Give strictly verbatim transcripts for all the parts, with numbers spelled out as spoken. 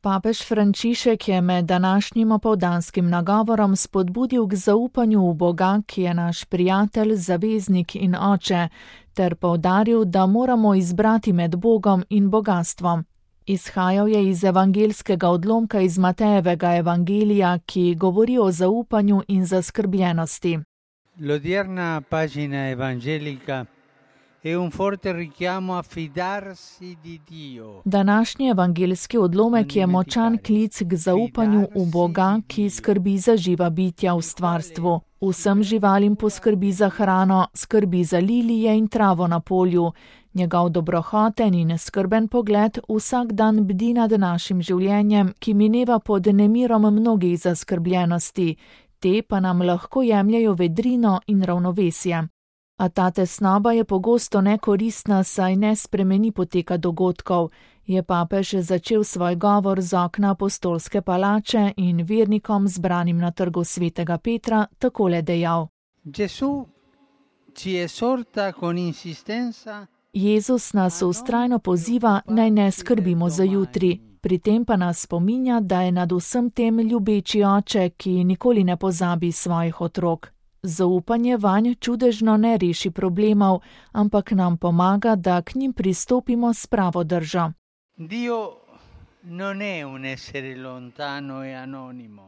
Papež Frančišek je med današnjim opoldanskim nagovorom spodbudil k zaupanju v Boga, ki je naš prijatelj, zaveznik in oče, ter poudaril, da moramo izbrati med Bogom in bogastvom. Izhajal je iz evangelskega odlomka iz Matejevega evangelija, ki govori o zaupanju in zaskrbljenosti. L'odierna pagina evangelica è un forte richiamo a fidarsi di Dio. Današnji evangelski odlomek je močan klic k zaupanju v Boga, ki skrbi za živa bitja v stvarstvu. Vsem živalim poskrbi za hrano, skrbi za lilije in travo na polju. Njegov dobrohoten in skrben pogled vsak dan bdi nad našim življenjem, ki mineva pod nemirom mnogih zaskrbljenosti. Te pa nam lahko jemljajo vedrino in ravnovesje. A ta tesnoba je pogosto nekoristna, saj ne spremeni poteka dogodkov, je papež začel svoj govor z okna apostolske palače in vernikom zbranim na trgu svetega Petra takole dejal. Jezus nas vztrajno poziva, naj ne skrbimo za jutri. Pri tem pa nas spominja, da je nad vsem tem ljubeči oče, ki nikoli ne pozabi svojih otrok. Zaupanje vanj čudežno ne reši problemov, ampak nam pomaga, da k njim pristopimo s pravo držo.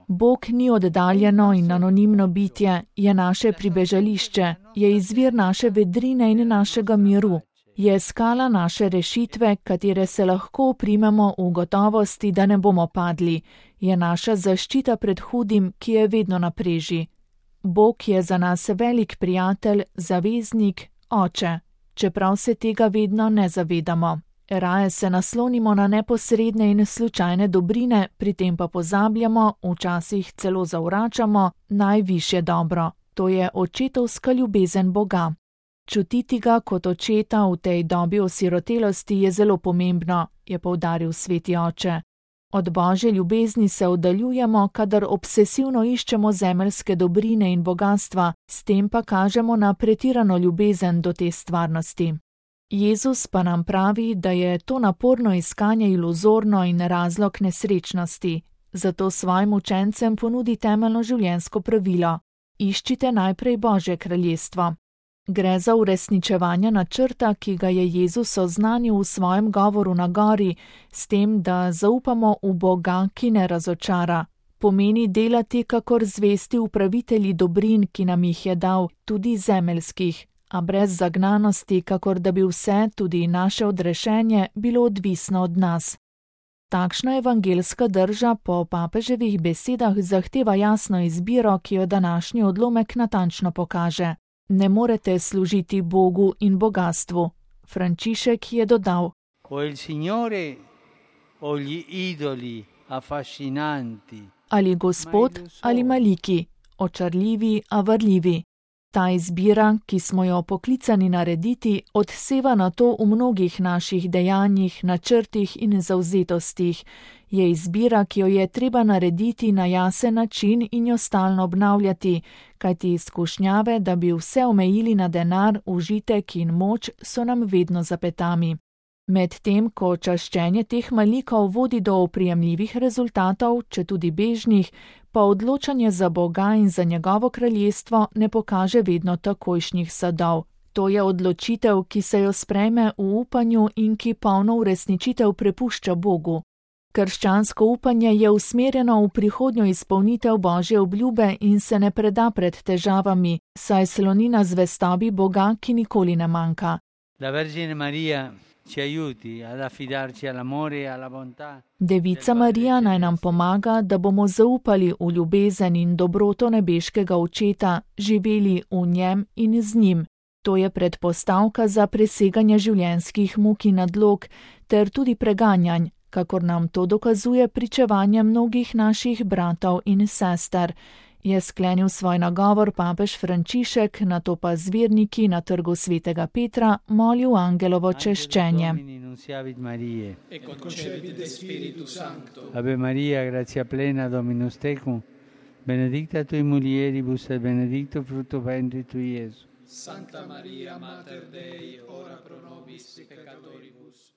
Bog ni oddaljeno in anonimno bitje, je naše pribežališče, je izvir naše vedrine in našega miru. Je skala naše rešitve, katere se lahko oprimemo v gotovosti, da ne bomo padli. Je naša zaščita pred hudim, ki je vedno na preži. Bog je za nas velik prijatelj, zaveznik, oče, čeprav se tega vedno ne zavedamo. Raje se naslonimo na neposredne in slučajne dobrine, pri tem pa pozabljamo, včasih celo zavračamo, najvišje dobro. To je očetovska ljubezen Boga. Čutiti ga kot očeta v tej dobi osirotelosti je zelo pomembno, je poudaril sveti oče. Od Božje ljubezni se oddaljujemo, kadar obsesivno iščemo zemeljske dobrine in bogatstva, s tem pa kažemo na pretirano ljubezen do te stvarnosti. Jezus pa nam pravi, da je to naporno iskanje iluzorno in razlog nesrečnosti, zato svojim učencem ponudi temeljno življenjsko pravilo: iščite najprej Božje kraljestvo. Gre za uresničevanje načrta, ki ga je Jezus oznanil v svojem govoru na gori, s tem, da zaupamo v Boga, ki ne razočara. Pomeni delati kakor zvesti upravitelji dobrin, ki nam jih je dal, tudi zemeljskih, a brez zagnanosti, kakor da bi vse, tudi naše odrešenje, bilo odvisno od nas. Takšna evangelska drža po papeževih besedah zahteva jasno izbiro, ki jo današnji odlomek natančno pokaže. Ne morete služiti Bogu in bogastvu. Frančišek je dodal: ali Gospod ali maliki, očarljivi, a varljivi. Ta izbira, ki smo jo poklicani narediti, odseva na to v mnogih naših dejanjih, načrtih in zavzetostih. Je izbira, ki jo je treba narediti na jasen način in jo stalno obnavljati, kajti izkušnjave, da bi vse omejili na denar, užitek in moč, so nam vedno za petami. Medtem ko čaščenje teh malikov vodi do oprijemljivih rezultatov, četudi bežnih, pa odločanje za Boga in za njegovo kraljestvo ne pokaže vedno takojšnjih sadov. To je odločitev, ki se jo sprejme v upanju in ki polno uresničitev prepušča Bogu. Krščansko upanje je usmerjeno v prihodnjo izpolnitev Božje obljube in se ne preda pred težavami, saj sloni na zvestobi Boga, ki nikoli ne manjka. Devica Marija naj nam pomaga, da bomo zaupali v ljubezen in dobroto nebeškega očeta, živeli v njem in z njim. To je predpostavka za preseganje življenjskih muk in nadlog ter tudi preganjanj, kakor nam to dokazuje pričevanje mnogih naših bratov in sester, je sklenil svoj nagovor papež Frančišek, nato pa z verniki na trgu svetega Petra molil angelovo češčenje. Ave Maria, gratia plena, Dominus tecum, benedicta tui mulieribus et benedictus fructus ventris tui, Iesus. Santa Maria, Mater Dei, ora pro nobis peccatoribus,